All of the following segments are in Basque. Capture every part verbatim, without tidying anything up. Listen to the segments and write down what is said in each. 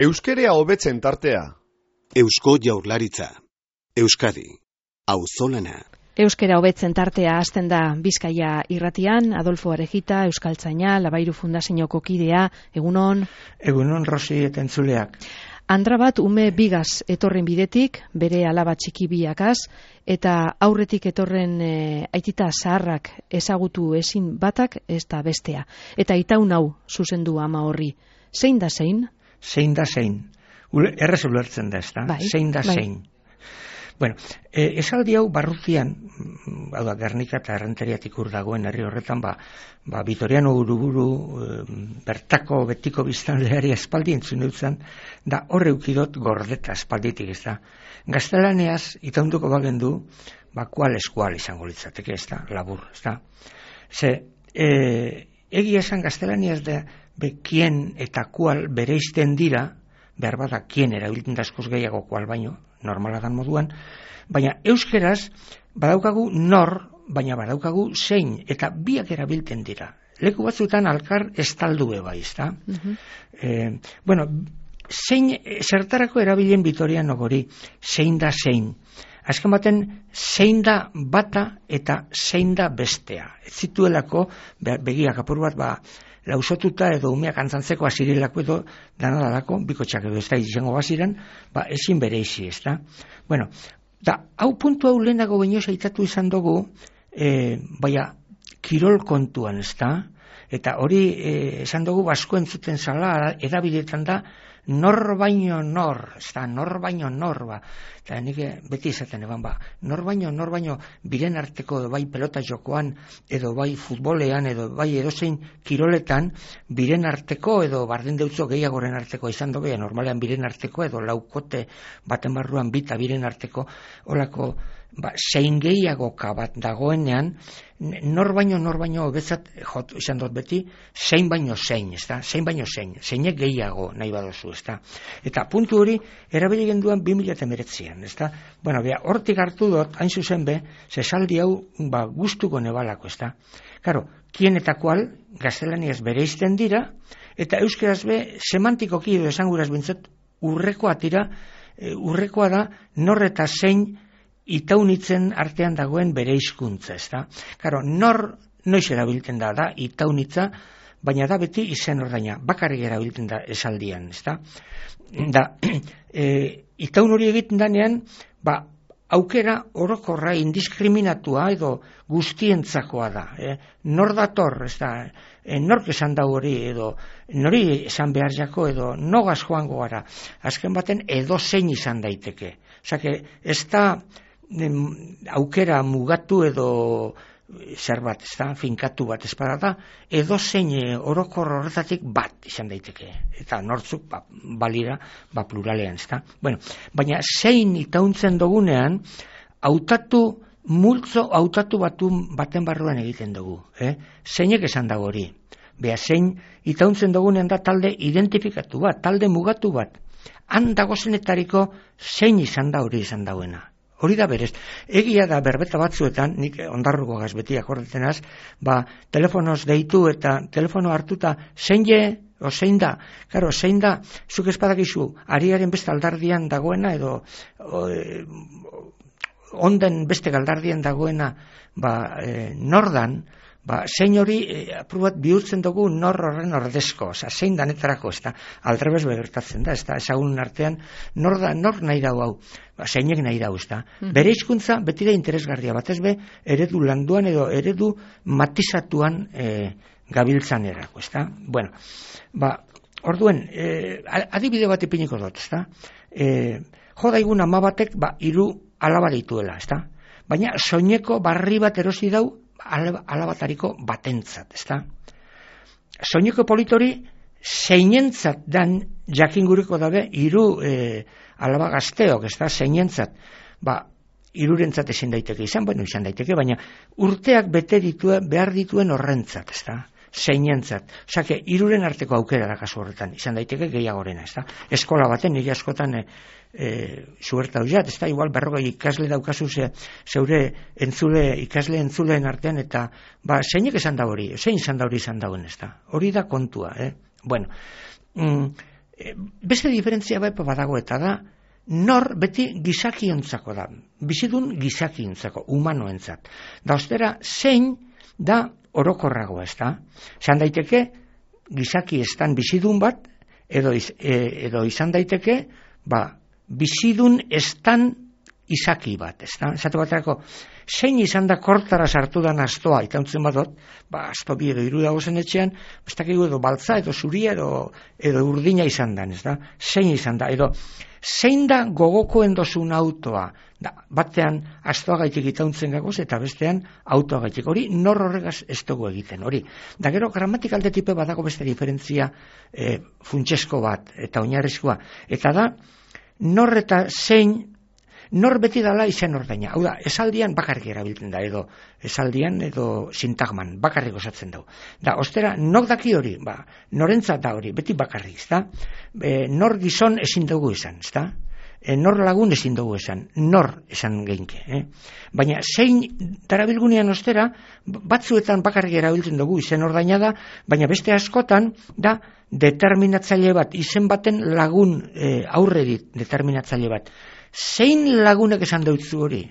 Euskerea hobetzen tartea. Eusko Jaurlaritza. Euskadi. Auzolana. Euskera hobetzen tartea hasten da Bizkaia irratian, Adolfo Arejita, Euskaltzaina, Labairu Fundazioko kidea, egunon. Egunon, Rosi eta entzuleak. Andra bat ume bigaz etorren bidetik, bere alaba txiki biakaz, eta aurretik etorren e, aitita zaharrak ezagutu ezin batak ez da bestea. Eta itaun hau zuzendu ama horri. Zein da zein? Zein da zein. Errez ulertzen da, ez da? Bai, zein da bai. zein. Bueno, eh, esaldi hau barrutian, hau da, Gernika eta Errenteriatik ur dagoen herri horretan, ba, ba Vitoriano Uruburu e, bertako betiko biztanleari espaldi entzun dutzen, da horre ukidot gordeta espalditik, ez da. Gaztelaneaz, itaunduko bagendu, ba, kual eskual izango litzateke, ez da, labur, ez da. Ze, e, egia esan gaztelaniaz da, be, kien eta kual bereizten dira, behar bada kien erabiltzen da askoz gehiago kual baino, normala dan moduan, baina euskeraz badaukagu nor, baina badaukagu zein, eta biak erabiltzen dira. Leku batzuetan alkar estaldue bai, ezta? Uh-huh. eh, bueno, zein, zertarako erabilen Vitoriano gori, zein da zein. Azken baten, zein da bata eta zein da bestea. Ez zituelako, begiak apur bat, ba, lausotuta edo umeak antzantzeko azirilako edo danadalako, bikotxak edo ez da izango baziren, ba, ezin bere izi, ez da. Bueno, da, hau puntu hau lehenago baino zaitatu izan dugu, e, baina, kirol kontuan, ez da, eta hori e, esan dugu basko entzuten zala, edabidetan da, nor baino nor, ez da, nor baino nor, ba, eta nik beti izaten eban, ba, nor baino, nor baino, biren arteko, edo bai pelota jokoan, edo bai futbolean, edo bai edozein kiroletan, biren arteko, edo barden deutzo gehiagoren arteko izan dobe, normalean biren arteko, edo laukote baten barruan bita biren arteko, olako, ba, zein gehiagoka bat dagoenean, nor baino, nor baino, betzat, jot, izan dut beti, zein baino zein, ez da, zein baino zein, zeinek gehiago nahi badozu, ez da. Eta puntu hori, erabili genduan bi mila emeretzian, ez da. Bueno, bea, hortik hartu dut, hain zuzen be, zesaldi hau, ba, gustuko nebalako, ez da. Karo, kien eta kual, gaztelaniaz bereizten dira, eta euskeraz be, semantikoki edo esanguraz bintzat, urrekoa tira, e, urrekoa da, nor eta zein, itaunitzen artean dagoen bere hizkuntza, ez da? Karo, nor noiz erabiltzen da, da, itaunitza, baina da beti izen ordaina, bakarrik erabiltzen da esaldian, ez da? Da, e, itaun hori egiten danean, ba, aukera orokorra indiskriminatua edo guztientzakoa da. Eh? Nor dator, ez da, e, nork esan da hori, edo nori esan behar jako, edo nogaz joango gara. Azken baten edo zein izan daiteke. Osake, ez da, aukera mugatu edo zer bat, ez da, finkatu bat espada da, edo zein orokor horretatik bat izan daiteke. Eta nortzuk, ba, balira, ba, pluralean, ez da. Bueno, baina zein itauntzen dugunean, hautatu, multzo hautatu batu baten barruan egiten dugu. Eh? Zeinek esan dago hori. Bea, zein itauntzen dugunean da talde identifikatu bat, talde mugatu bat. Han dagozenetariko zein izan da hori izan dauena. Hori da berez. Egia da berbeta batzuetan, nik ondarruko gazbeti akordetenaz, ba, telefonoz deitu eta telefono hartuta zein je, o zein da. Karo, zein da, zuk espadakizu, ariaren beste aldardian dagoena, edo o, e, onden beste galdardian dagoena, ba, e, nordan, ba, zein hori e, aprobat bihurtzen dugu nor horren ordezko, oza, zein danetarako, ez da, aldrebez begertatzen da, ez da, ezagunen artean, nor da, nor nahi dau hau, ba, zeinek nahi dau, ez da. Mm-hmm. Bere hizkuntza beti da interesgarria, batez be, eredu landuan edo eredu matizatuan e, gabiltzan erako, ez da. Bueno, ba, orduen, e, adibide bat ipiniko dut, ez da. E, jo daigun ama batek, ba, hiru alaba dituela, ez da. Baina, soineko barri bat erosi dau, alabatariko batentzat, ez da? Soineko politori zeinentzat dan jakinguriko dabe hiru e, alaba gazteok, ez da, zeinentzat, ba, hirurentzat ezin daiteke izan, bueno, izan daiteke, baina urteak bete dituen, behar dituen horrentzat, ez da? Zeinentzat. Osake, hiruren arteko aukera da kasu horretan, izan daiteke gehiagorena, ez da? Eskola baten, nire askotan e, e, zuerta hoiat, ez da, igual berrogei ikasle daukazu ze, zeure entzule, ikasle entzuleen artean, eta ba, zeinek esan da hori, zein izan da hori izan dauen, ez da? Hori da kontua, eh? Bueno, mm, E, beste diferentzia bepo badago eta da, nor beti gizakiontzako da, bizidun gizakiontzako, humanoentzat. Da ostera, zein da orokorragoa, ez da? Zan daiteke, gizaki estan bizidun bat, edo, iz, e, edo izan daiteke, ba, bizidun estan izaki bat, ez da? Esatu baterako, zein izan da kortara sartu da astoa, itauntzen badot, ba, asto bi edo iru dago zen etxean, ez dakigu edo baltza, edo zuria, edo, edo urdina izan da, ez da? Zein izan da, edo, zein da gogokoen dozun autoa, da, batean astoa gaitik itauntzen gagoz, eta bestean autoa gaitik, hori nor horregaz ez dugu egiten, hori. Da gero, gramatikalde tipe badago beste diferentzia e, funtsesko bat, eta oinarrizkoa, eta da, nor eta zein, nor beti dala izen ordaina. Hau da, esaldian bakarrik erabiltzen da, edo esaldian edo sintagman, bakarrik osatzen dau. Da, ostera, nok daki hori, ba, norentzat da hori, beti bakarrik, ezta? E, nor gizon ezin dugu esan, ezta? E, nor lagun ezin dugu esan, nor esan geinke. Eh? Baina, zein darabilgunean ostera, batzuetan bakarrik erabiltzen dugu izen ordaina da, baina beste askotan, da, determinatzaile bat, izen baten lagun e, aurrerit determinatzaile bat. Zein lagunek esan deutzu hori?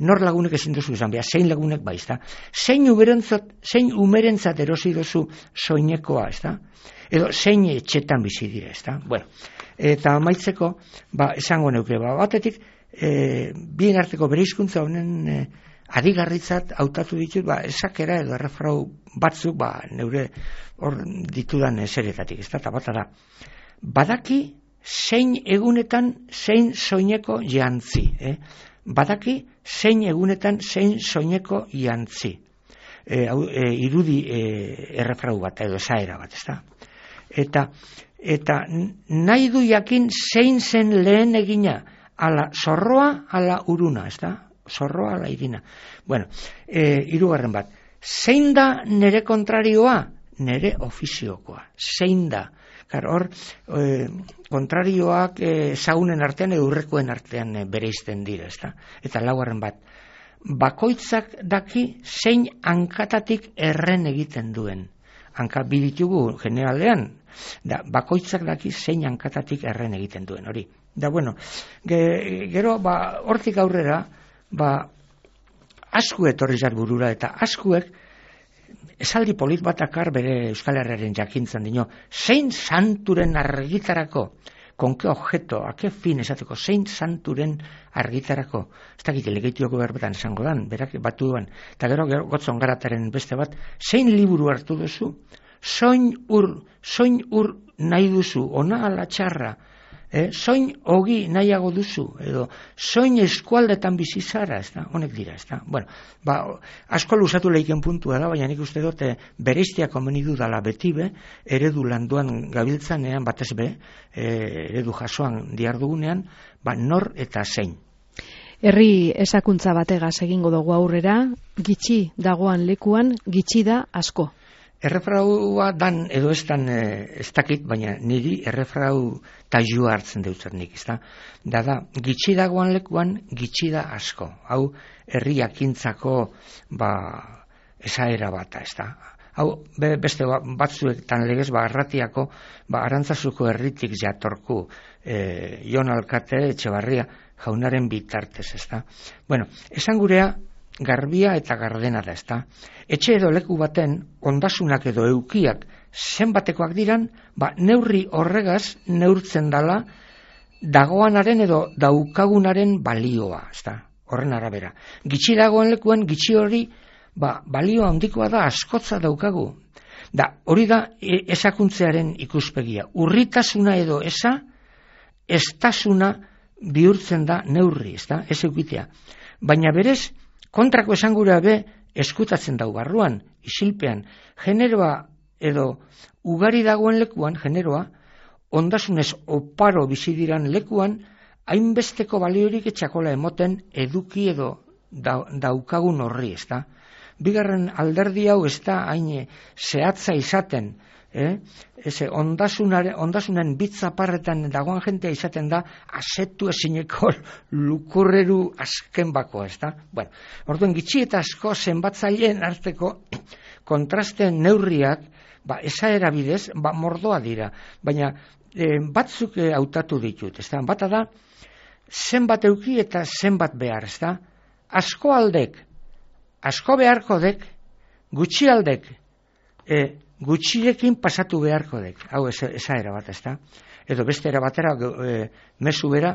Nor lagunek ezin duzu esan, beha, zein lagunek bai, ezta? Zein umerentzat, zein umerentzat erosi duzu soinekoa, ezta? Edo zein etxetan bizi dira, ezta? Bueno, eta amaitzeko, ba, esango neuke, ba, batetik, e, bien arteko bereizkuntza honen e, adigarritzat hautatu ditut, ba, esakera edo errefrau batzuk, ba, neure hor ditudan eseretatik, ezta? Eta bata da, badaki, zein egunetan zein soineko jantzi, eh? Badaki zein egunetan zein soineko jantzi. E, e, irudi e, errefrau bat edo esaera bat, ezta? Eta eta nahi du jakin zein zen lehen egina, ala zorroa, ala uruna, ezta? Zorroa, ala irina. Bueno, e, hirugarren bat. Zein da nere kontrarioa? Nere ofiziokoa. Zein da? Karo, hor, e, kontrarioak e, zaunen artean edo urrekoen artean e, bereizten dira, ezta? Eta laugarren bat, bakoitzak daki zein hankatatik erren egiten duen. Hanka biditugu generalean, da, bakoitzak daki zein hankatatik erren egiten duen, hori. Da, bueno, ge, gero, ba, hortik aurrera, ba, asku etorri zat burura, eta askuek, esaldi polit batakar bere Euskal Herriaren jakintzan dino, zein santuren argitarako, konke objeto, ake fin esateko, zein santuren argitarako, ez dakit legeitioko berbetan esango dan, berak batu duan, eta gero gotzon garataren beste bat, zein liburu hartu duzu, soin ur, soin ur nahi duzu, ona ala txarra, eh? Soin ogi nahiago duzu, edo soin eskualdetan bizizara, ez da, honek dira, ez da. Bueno, ba, asko luzatu lehiken puntua da, baina nik uste dute bereiztia komeni dudala beti be, eredu landuan gabiltzanean, batez be, e, eredu jasoan diardugunean, ba, nor eta zein. Herri esakuntza bategaz egingo dugu aurrera, gitxi dagoan lekuan, gitxi da asko. Errefraua dan edo ez dan ez dakit, baina niri errefrau tajua hartzen deutzer nik, ez da? Da da, gitxi dagoan lekuan, gitxi da asko. Hau, herri jakintzako, ba, esaera bata, ez da? Hau, be, beste batzuek tan legez, ba, arratiako, ba, Arantzazuko herritik jatorku, e, Jon Alkate, Etxebarria, jaunaren bitartez, ez da? Bueno, esan gurea, garbia eta gardena da, ezta? Etxe edo leku baten ondasunak edo eukiak zenbatekoak diran, ba, neurri horregaz neurtzen dala dagoanaren edo daukagunaren balioa, ezta? Horren arabera. Gitxi dagoen lekuan, gitxi hori, ba, balioa handikoa da, askotza daukagu. Da, hori da e, esakuntzearen ikuspegia. Urritasuna edo esa, estasuna bihurtzen da neurri, ezta? Ez eukitea. Baina berez, kontrako esangura be eskutatzen dau barruan, isilpean, generoa edo ugari dagoen lekuan, generoa, ondasunez oparo bizi diran lekuan, hainbesteko baliorik etxakola emoten eduki edo da, daukagun horri, ezta? Bigarren alderdi hau ez da hain zehatza izaten, eh? Eze, ondasunen, ondasunen bitzaparretan dagoan jentea izaten da asetu ezineko lukurreru azken bakoa, ez da? Bueno, orduan gitxi eta asko zenbatzaileen arteko kontrasten neurriak, ba, esaera bidez, ba, mordoa dira, baina e, batzuk e, hautatu ditut, ezta? Bata da, zenbat euki eta zenbat behar, ezta? Asko aldek, asko beharko dek, gutxi aldek, e, gutxirekin pasatu beharko dek. Hau, eza, eza era bat, ezta? Edo beste era batera, e, mezu bera,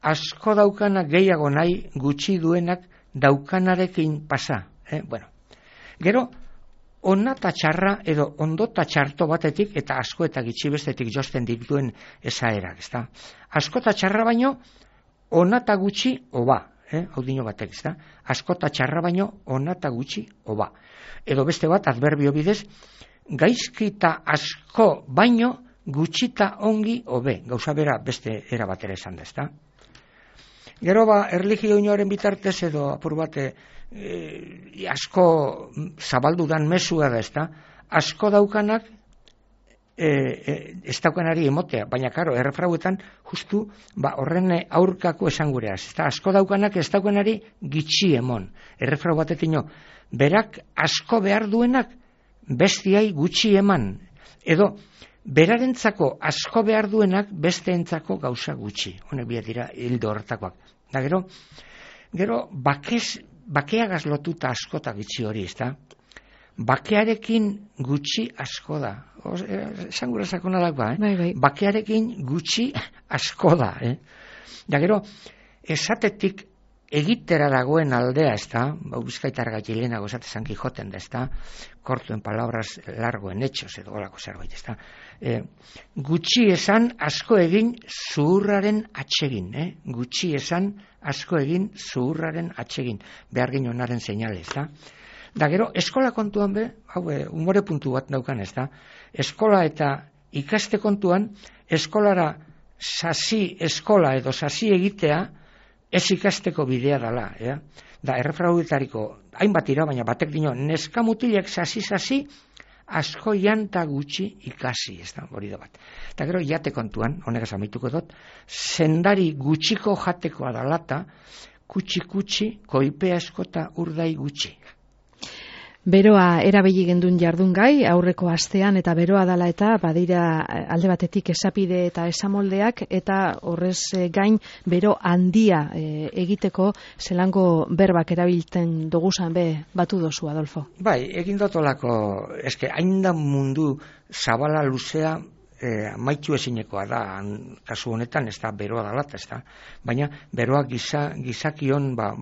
asko daukana gehiago nahi, gutxi duenak daukanarekin pasa. Eh? Bueno, gero, ona eta txarra edo ondo eta txarto batetik eta asko eta gitxi bestetik josten dituen esaerak, ezta? Asko eta txarra baino, ona eta gutxi oba, eh? Hau dino batek, ezta? Asko eta txarra baino, ona eta gutxi oba. Edo beste bat, adverbio bidez, gaizki eta asko baino, gutxi eta ongi obe, gauza bera beste era batera esan da, ezta? Gero ba, erlijio inoaren bitartez edo apur bate, E, asko zabaldu dan mesua da, ezta? Asko daukanak e, e, ez daukanari emotea, baina karo, errefrauetan justu ba, horren aurkako esan gureaz, ezta? Asko daukanak ez daukanari gitxi emon. Errefrau batetino, berak asko behar duenak bestiai gutxi eman, edo berarentzako asko behar duenak besteentzako gauza gutxi. Honek biat dira hildo horretakoak. Da gero, gero bakez bakeagaz lotuta askota gitxi hori, ezta? Bakearekin gutxi asko da. Esan gura sakona dagoa, eh? Bai, bai. Bakearekin gutxi asko da, eh? Da gero, esatetik egitera dagoen aldea, ezta? Bau bizkaitar gatilenago esate San Quijoten da, ezta? Corto en palabras, largo en hechos, edo golako zerbait, ezta? E, gutxi esan asko egin zuhurraren atsegin, eh? Gutxi esan asko egin zuhurraren atsegin, behar ginonaren seinale, ezta? Da gero, eskola kontuan be, hau, umore puntu bat daukan, ezta? Eskola eta ikaste kontuan, eskolara sasi eskola edo sasi egitea, ez ikasteko bidea dala, eh? Da, errefrauetariko, hainbat ira, baina batek dino, neska mutilek sasi-sasi, asko janta gutxi ikasi, ez da, hori da bat. Eta gero, jate kontuan, honegaz amaituko dut, sendari gutxiko jatekoa dalata, kutsi-kutsi, koipea eskota urdai gutxi. Beroa erabili gendun jardun gai, aurreko astean eta beroa dala eta badira alde batetik esapide eta esamoldeak eta horrez gain bero handia e, egiteko zelango berbak erabiltzen doguzan be batu dozu, Adolfo. Bai, egin dotolako, eske hain da mundu zabala luzea e, maitu ezinekoa da, kasu honetan ez da beroa dala, ez da, baina beroa giza, gizakion ba,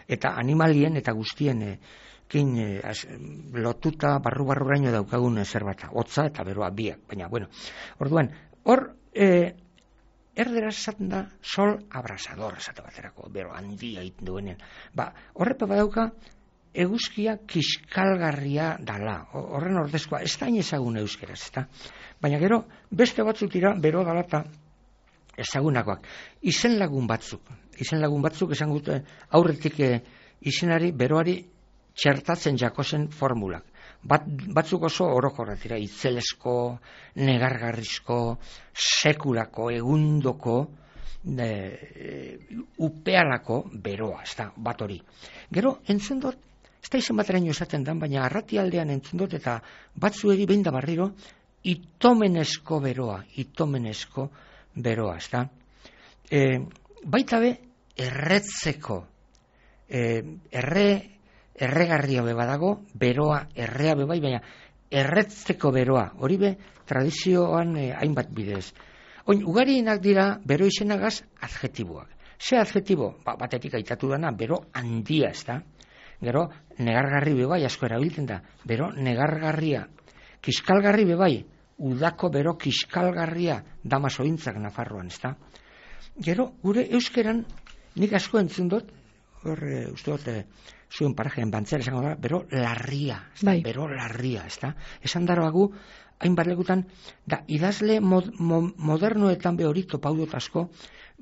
eta animalien eta guztien e, kin eh, as, lotuta barru-barruraino daukagun zerbata, hotza eta beroa biak, baina, bueno, orduan, hor, eh, erderaz esaten da, sol abrasador, esate baterako, bero handia egiten duenean, ba, horrepe badauka, eguzkia kiskalgarria dala, horren ordezkoa, ez da inezagun euskeraz, ez da, baina gero, beste batzuk dira, bero dala eta ezagunakoak, izen lagun batzuk, izen lagun batzuk, esan gute, aurretik eh, izenari, beroari, txertatzen jakozen formulak. Bat, batzuk oso orokorrak dira, itzelesko, negargarrizko, sekulako, egundoko, e, upealako beroa, ez da, bat hori. Gero, entzun dut, ez da izen bateraino esaten dan, baina arrati aldean entzun dut, eta batzuegi behin da barriro, itomenesko beroa, itomenesko beroa, ez da. E, baita be, erretzeko, e, erre, erregarria be badago, beroa errea be bai, baina erretzeko beroa, hori be tradizioan eh, hainbat bidez. Oin, ugarienak dira bero izenagaz adjetiboak. Ze adjetibo? Ba, batetik aitatu dana, bero handia, ez da? Gero, negargarri be bai, asko erabiltzen da, bero negargarria. Kiskalgarri be bai, udako bero kiskalgarria dama sointzak Nafarroan, ez da? Gero, gure euskeran, nik asko entzun dut, hor, e, uste dut, e, zuen parajean bantzera esango da, bero larria, bai. Bero larria, ez da? Esan daroagu, hainbat lekutan, da, idazle mod, mo, modernoetan be hori topaudot asko,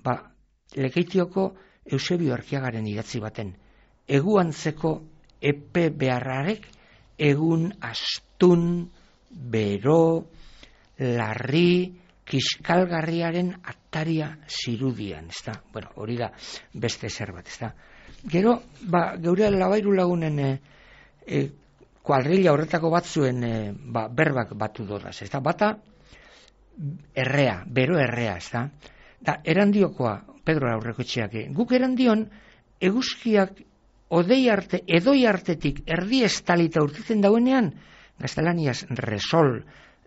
ba, Lekeitioko Eusebio Arkiagaren idatzi baten, eguantzeko epe beharrarek, egun astun, bero, larri, kiskalgarriaren ataria zirudian, ez da? Bueno, hori da beste zerbait, ez da? Gero, ba, geure labairu lagunen e, e, kuadrilla horretako batzuen e, ba, berbak batu dodaz, ez da? Bata, errea, bero errea, ez da? Da, erandiokoa, Pedro Aurrekotxeak, guk erandion, eguzkiak odei arte, edoi artetik erdi estalita urtitzen dauenean, gaztelaniaz resol,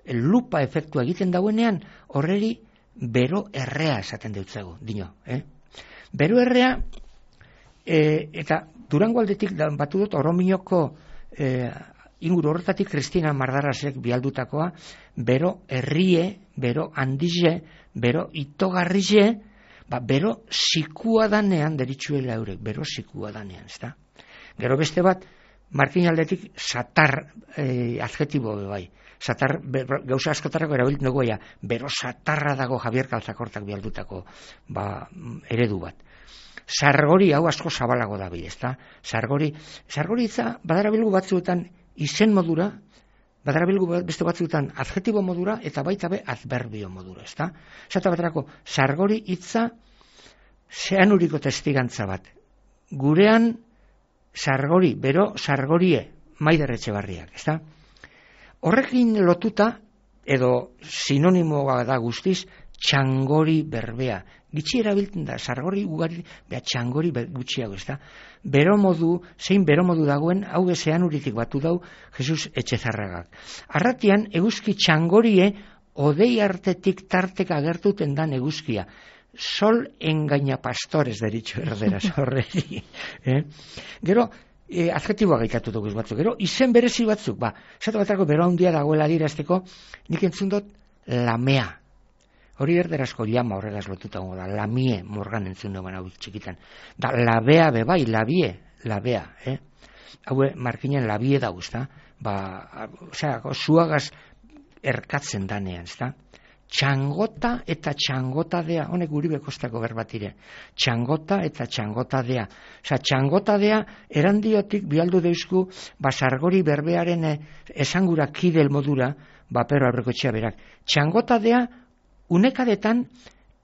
lupa efektua egiten dauenean, horreri bero errea esaten deutzego, dino. Eh? Bero errea, e, eta Durango aldetik batu dut, Orominoko e, inguru horretatik Kristina Mardarasek bialdutakoa, bero herrie, bero handize, bero itogarrize, ba, bero sikua danean deritzuela eurek, bero sikua danean, ez da? Gero beste bat, Markin aldetik satar e, adjetibo bai. Satar, be, gauza askotarako erabiltzen dugu, ja, bero satarra dago Javier Kaltzakortak bialdutako ba, eredu bat. Sargori hau asko zabalago da bi, ezta? Sargori, sargori itza badarabilgu batzuetan izen modura, badarabilgu beste batzuetan adjetibo modura eta baita be adverbio modura, ezta? Esate baterako, sargori hitza zeanuriko testigantza bat. Gurean sargori, bero sargorie, Maider Etxebarriak, ezta? Horrekin lotuta, edo sinonimoa da guztiz, txangori berbea. Gitxi erabiltzen da, sargori ugari, beha txangori gutxiago, ez da? Bero modu, zein bero modu dagoen, hau ezean uritik batu dau, Jesus Etxezarragak. Arratian, eguzki txangorie, odei artetik tarteka agertuten dan eguzkia. Sol engaina pastores deritxo erderaz horreti. eh? Gero, E, adjetiboa gaitatu dugu batzuk, gero, izen berezi batzuk, ba, esatu batrako bero handia dagoela dirazteko, nik entzun dut, lamea. Hori erderazko llama horregaz lotuta da, lamie, morgan entzun dugu hau txikitan. Da, labea bebai, labie, labea, eh? Hau, markinen labie dago, ezta? Ba, osea, zuagaz erkatzen danean, ezta? Txangota eta txangotadea, honek guri bekostako berbatire, txangota eta txangotadea. Osa, txangotadea erandiotik bialdu deuzku, ba, sargori berbearen esangura kidel modura, ba, Pedro Aurrekotxea berak. Txangotadea, unekadetan,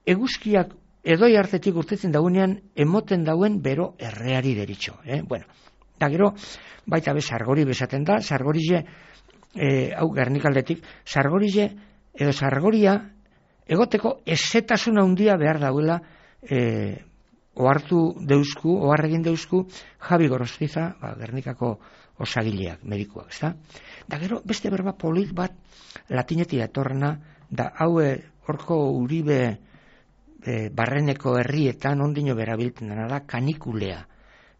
eguzkiak edoi hartetik urtetzen dauenean, emoten dauen bero erreari deritxo. Eh? Bueno, da gero, baita be, sargori bezaten da, sargorize, eh, hau Gernikaldetik, sargorize, edo sargoria, egoteko ezetasuna handia behar dauela e, ohartu deuzku, oharregin deuzku, Javi Gorostiza, ba, Gernikako osagileak, medikuak, ezta? Da gero, beste berba polit bat latinetik datorrena, da haue horko Uribe e, Barreneko herrietan ondino berabiltzen dena da kanikulea.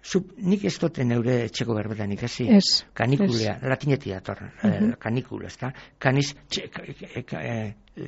Zub, nik ez duten neure etxeko berbetan ikasi. Ez. Kanikulea, latinetik datorren, uh -huh. eh, kanikula, ezta? Kaniz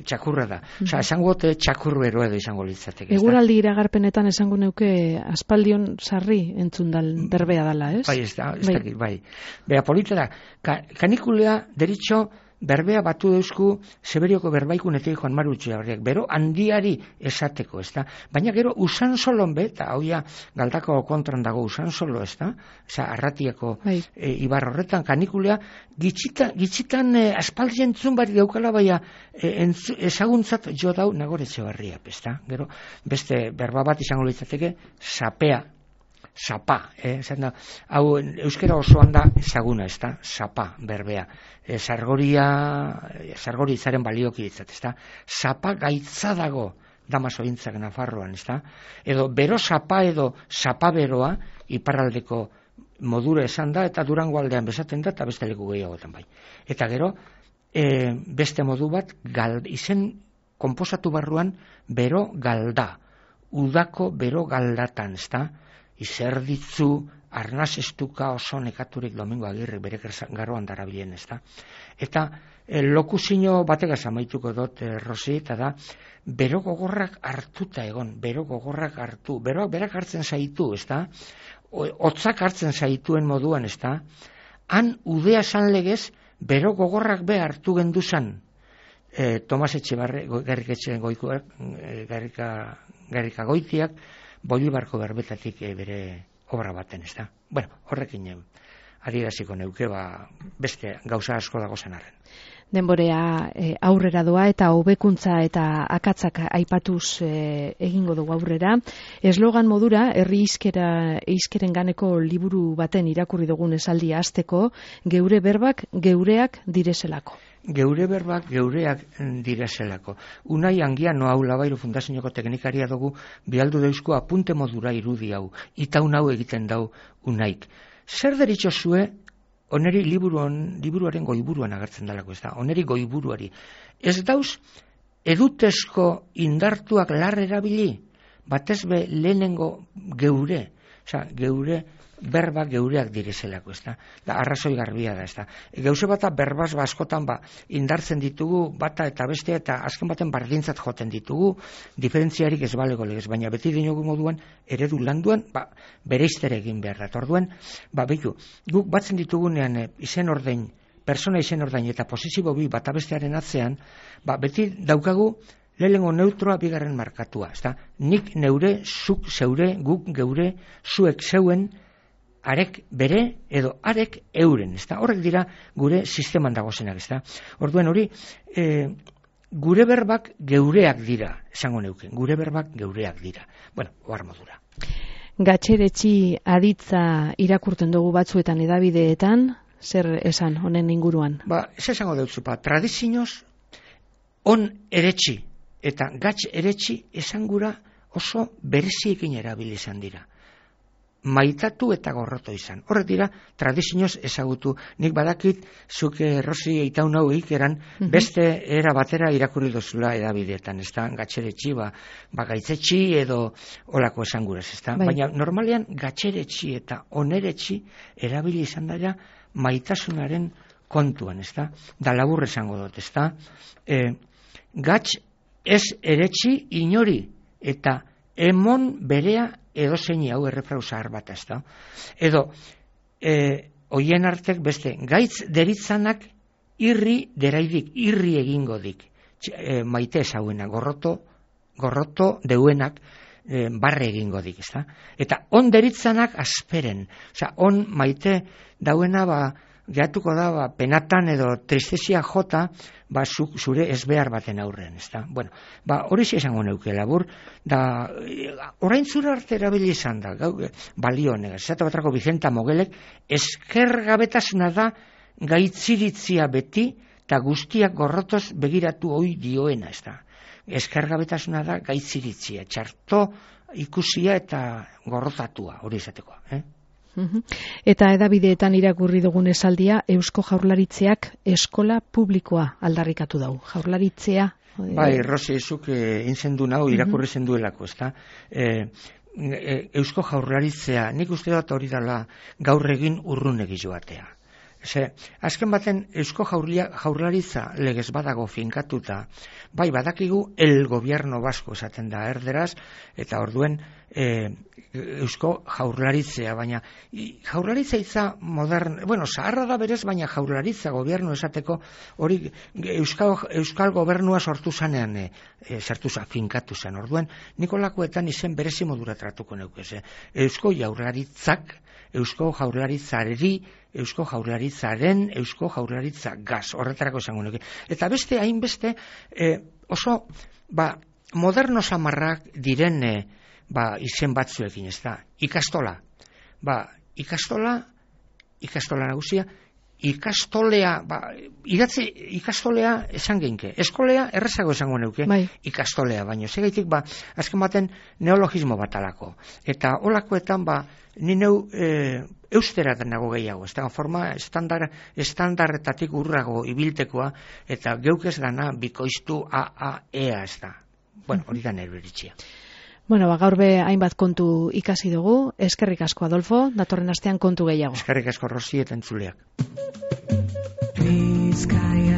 txakurra da. Uh -huh. Osa, esango gote txakur bero edo izango litzateke. Eguraldi iragarpenetan esango neuke aspaldion sarri entzun dal berbea dala, ez? Bai, ez da, ez bai. bai. Bea polita da, ka, kanikulea deritxo berbea batu deuzku Seberioko berbaikunetik Juan Maru Utxebarriak, bero handiari esateko, ez da? Baina gero usan solon be, eta hauia Galdako kontran dago usan solo, ez da? Osa, Arratiako bai. e, ibar horretan kanikulea, gitxita, gitxitan e, aspaldi entzun bari daukala, baina e, entzu, ezaguntzat jo dau Nagore Etxebarria, ez da? Gero, beste berba bat izango litzateke, sapea, sapa, eh? Da, hau euskera osoan da ezaguna, ez da? Sapa, berbea. E, sargoria, sargori izaren balioki ditzat, ez da? Sapa gaitza dago Damasointzak Nafarroan, ez da? Edo bero sapa edo sapa beroa iparraldeko modura esan da, eta Durango aldean bezaten da, eta beste leku gehiagotan bai. Eta gero, e, beste modu bat, gal, izen konposatu barruan bero galda, udako bero galdatan, ez da? Izerditzu, arnaz estuka oso nekaturik Domingo Agirre bere garroan darabilen, ez da? Eta e, lokuzino bategaz amaituko dut, e, Rosi, eta da, bero gogorrak hartuta egon, bero gogorrak hartu, beroak berak hartzen zaitu, ez da? Hotzak hartzen zaituen moduan, ez da? Han udea san legez, bero gogorrak be hartu genduzan, e, Tomas Etxebarre, Garrika Etxeen goikoak, e, Garrika, Garrika goitiak, Bolibarko berbetatik e, bere obra baten, ez da? Bueno, horrekin adieraziko neuke, ba, beste gauza asko dago zen arren. Denborea e, aurrera doa eta hobekuntza eta akatzak aipatuz e, egingo dugu aurrera. Eslogan modura, herri hizkera hizkeren ganeko liburu baten irakurri dugun esaldia hasteko, geure berbak geureak direzelako. Geure berbak geureak direzelako. Unai Angiano hau Labairo Fundazioko teknikaria dugu bialdu deuzko apunte modura irudi hau. Itaun hau egiten dau Unaik. Zer deritxo zue oneri liburuan, liburuaren goiburuan agertzen dalako, ez da, oneri goiburuari. Ez dauz, edutezko indartuak lar erabili, batez be lehenengo geure, oza, geure, berba geureak direzelako, ez da, da arrazoi garbia da, ez da. Gauze bata berbaz askotan ba, indartzen ditugu, bata eta bestea, eta azken baten bardintzat joten ditugu, diferentziarik ez balego legez, baina beti dinogu moduan, eredu landuan, ba, bereiztere egin behar da. Orduan, ba, behitu, guk batzen ditugunean e, izen ordein, persona izen ordein eta posizio bi bata bestearen atzean, ba, beti daukagu, lehenengo neutroa bigarren markatua, ez da, nik neure, zuk zeure, guk geure, zuek zeuen, arek bere edo arek euren, ezta? Horrek dira gure sisteman dagozenak, ezta? Orduen hori, e, gure berbak geureak dira, esango neuken, gure berbak geureak dira. Bueno, ohar modura. Gatxeretxi aditza irakurten dugu batzuetan edabideetan, zer esan honen inguruan? Ba, ez esango deutzu, pa, tradizioz, on eretxi eta gatx eretxi esangura oso bereziekin erabili izan dira. Maitatu eta gorroto izan. Horrek dira, tradizioz ezagutu. Nik badakit, zuke Rosi itaun hau ikeran, mm-hmm. beste era batera irakurri dozula edabideetan, ez da, gatxeretxi, ba, ba gaitzetxi edo olako esanguraz, ez da. Bai. Baina normalean gatxeretxi eta oneretxi erabili izan dira maitasunaren kontuan, ez da. Da labur esango dut, ez da. E, gatx ez eretxi inori eta emon berea edo zeini hau errefrau zahar bat ez da. Edo, e, oien artek beste, gaitz deritzanak irri deraidik, irri egingo dik. E, maite ezauena, gorroto, gorroto deuenak e, barre egingo dik, ez da. Eta on deritzanak asperen. Osea, on maite dauena, ba, gehatuko da, ba, penatan edo tristesia jota, ba, zu, zure ezbehar baten aurrean, ez da. Bueno, ba, hori esango neuke labur, da, orain zura arte erabili izan da, gau, balio honegaz, zata batrako Vicenta Mogelek, eskergabetasuna da gaitziritzia beti, eta guztiak gorrotoz begiratu hoi dioena, ez da. Eskergabetasuna da gaitziritzia, txarto ikusia eta gorrotatua, hori izatekoa, eh? Eta edabideetan irakurri dugun esaldia, Eusko Jaurlaritzeak eskola publikoa aldarrikatu dau. Jaurlaritzea... Bai, Rosi, zuk eh, inzendu nahu irakurri uh-huh. zenduelako, ezta? Eh, eh, Eusko Jaurlaritzea, nik uste dut hori dela gaur egin urrunegi joatea. Ze, azken baten Eusko Jaurlaritza legez badago finkatuta, bai badakigu el gobierno vasco esaten da erderaz, eta orduen e, Eusko Jaurlaritzea, baina Jaurlaritza itza modern, bueno, zaharra da berez, baina Jaurlaritza gobierno esateko hori Euskal, Euskal gobernua sortu zanean e, e, sartu za, finkatu zen, orduen Nikolakoetan izen berezi modura tratuko neukeze. Eusko Jaurlaritzak, Eusko Jaurlaritzareri, Eusko Jaurlaritzaren, Eusko Jaurlaritza gaz, horretarako esango nuke. Eta beste, hainbeste, e, oso, ba, moderno samarrak diren, e, ba, izen batzuekin, ez da, ikastola. Ba, ikastola, ikastola nagusia, ikastolea, ba, idatzi ikastolea esan geinke. Eskolea errezago esango neuke, bai. Ikastolea, baino segaitik ba azken baten neologismo batalako. Eta holakoetan ba ni neu e, eusteratan nago gehiago, ez da forma estandar estandarretatik urrago ibiltekoa eta geuk ez dana bikoiztu a a ea, ez da. Bueno, hori da nere iritzia. Bueno, ba, gaur be hainbat kontu ikasi dugu. Eskerrik asko Adolfo, datorren astean kontu gehiago. Eskerrik asko Rosi eta entzuleak. Bizkaia